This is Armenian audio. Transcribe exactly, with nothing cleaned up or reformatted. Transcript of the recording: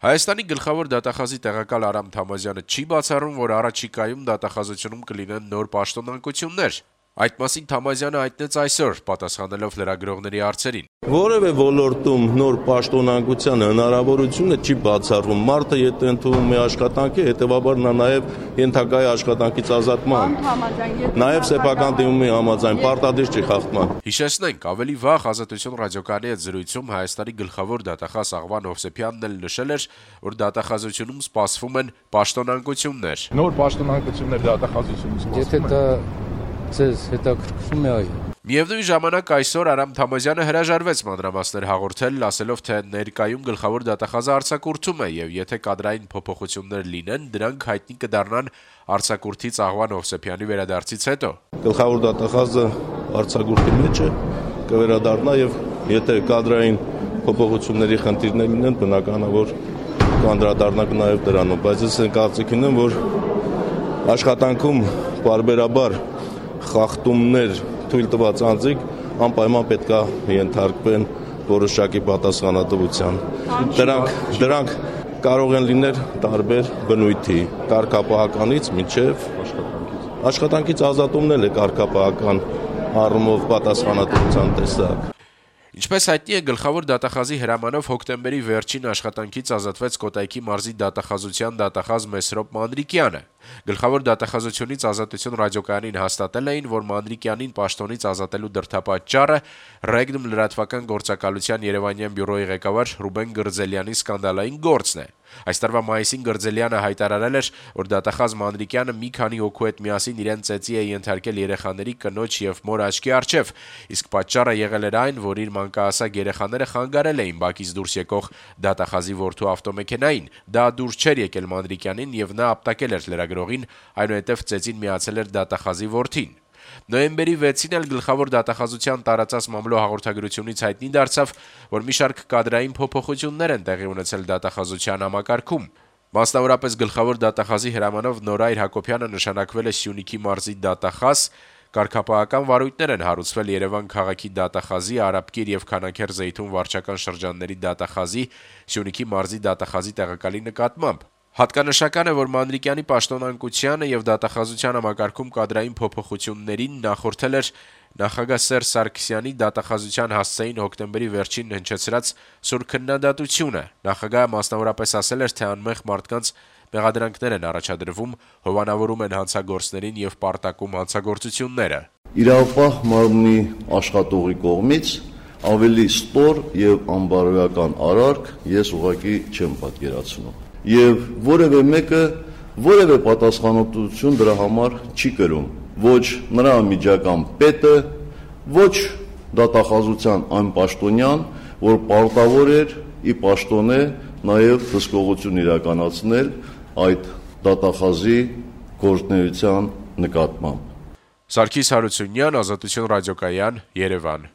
Հայաստանի գլխավոր դատախազի տեղակալ Արամ Թամազյանը չի բացառում, որ առաջիկայում դատախազությունում կլինեն նոր պաշտոնանկություններ։ Այդ մասին Թամազյանը հայտնեց այսօր, պատասխանելով լրագրողների հարցերին։ Որևէ ոլորտում նոր պաշտոնանկության հնարավորությունը չի բացառվում։ Մարդը եթե ընդունում է աշխատանքի, հետևաբար նա նաև ենթակա է աշխատանքից ազատման։ Նաև սեփական դիմումի համաձայն պարտադիր չի խախտման։ Հիշեցնենք, ավելի վաղ Ազատություն ռադիոկայանի հետ զրույցում Հայաստանի գլխավոր դատախազ Աղվան Հովսեփյանն էլ նշել էր, որ դատախազությունում սպասվում են պաշտոնանկություններ։ Նոր պաշտոնանկություններ դատախազությունում սպասվում են։ Եթե դա ձեզ հետաքրքրում է, այո։ Միևնույն ժամանակ այսօր Արամ Թամազյանը հրաժարվեց մանրամասներ հաղորդել, ասելով, թե ներկայում գլխավոր դատախազը արձակուրդում է եւ եթե կադրային փոփոխություններ լինեն, դրանք հայտնի կդառնան արձակուրդից Աղվան Հովսեփյանի վերադարձից հետո։ Գլխավոր դատախազը արձակուրդի մեջ է, կվերադառնա եւ եթե կադրային փոփոխությունների խնդիրներ լինեն, բնական է, որ կանդրադառնանք նաեւ դրանով, բայց ես կարծիք ունեմ, որ աշխատանքում բարբերաբար խախտումներ թույլ տված անձիկ անպայման պետք է ենթարկվեն որոշակի պատասխանատվության։ Դրանք դրանք կարող են լինել տարբեր բնույթի, կարգապահականից մինչև աշխատանքից ազատումն էլ է կարգապահական առումով պատասխանատվության տեսակ։ Ինչպես հայտնի է, գլխավոր դատախազի հրամանով հոկտեմբերի վերջին աշխատանքից ազատվեց Կոտայքի մարզի դատախազության դատախազ Մեսրոպ Մանրիկյանը։ Գլխավոր դատախազությունից Ազատություն ռադիոկայանին հաստատել էին, որ Մանրիկյանին պաշտոնից ազատելու դրդապատճառը Ռեգնում լրատվական գործակալության Երևանյան բյուրոյի ղեկավար Ռուբեն Գրձելյանի սկանդալային գործն է։ Այս տարվա մայիսին Գրձելյանը հայտարարել էր, որ դատախազ Մանրիկյանը մի քանի հոգու հետ միասին իրեն ծեծի է ենթարկել երեխաների կնոջ եւ մոր աչքի առջեւ, իսկ պատճառը եղել էր այն, որ իր մանկահասակ երեխաները խանգարել էին բակից դուրս եկող դատախազի որդու ավտոմեքենային։ Դա դուրս չէր եկել Մանրիկյանին եւ նա ապտակել էր լրագրողին, այնուհետև ծեծին միացել էր դատախազի որդին։ Նոյեմբերի վեցին էլ գլխավոր դատախազության տարածած մամլո հաղորդագրությունից հայտնի դարձավ, որ մի շարք կադրային փոփոխություններ են տեղի ունեցել դատախազության համակարգում։ Մասնավորապես գլխավոր դատախազի հրամանով Նորայր Հակոբյանը նշանակվել է Սյունիքի մարզի դատախազ, կարգապահական վարույթներ են հարուցվել Երևան քաղաքի դատախազի, Արաբկիր եւ Քանաքեր Զեյթուն վարչական շրջանների դատախազի, Սյունիքի մարզի դատախազի տեղակալի նկատմամբ։ Հատկանշական է, որ Մանրիկյանի պաշտոնանկությանը եւ դատախազության համակարգում կադրային փոփոխություններին նախորդել էր նախագահ Սերժ Սարգսյանի դատախազության հասցեին հոկտեմբերի վերջին հնչեցրած սուր քննադատությունը։ Նախագահը մասնավորապես ասել էր, թե անմեղ մարդկանց մեղադրանքներ են առաջադրվում, հովանավորում են հանցագործներին եւ պարտակում հանցագործությունները։ Իրավապահ մարմնի աշխատողի կողմից ավելի ստոր եւ անբարոյական արարք ես ուղղակի չեմ պատկերացնում։ Եվ որևէ մեկը որևէ պատասխանատվություն դրա համար չի կրում, ոչ նրա միջական պետը, ոչ դատախազության այն պաշտոնյան, որ պարտավոր էր ի պաշտոնե նաև հսկողություն իրականացնել այդ դատախազի գործունեության նկատմամբ։ Սարգիս Հարությունյան, Ազատություն ռադիոկայան, Երևան։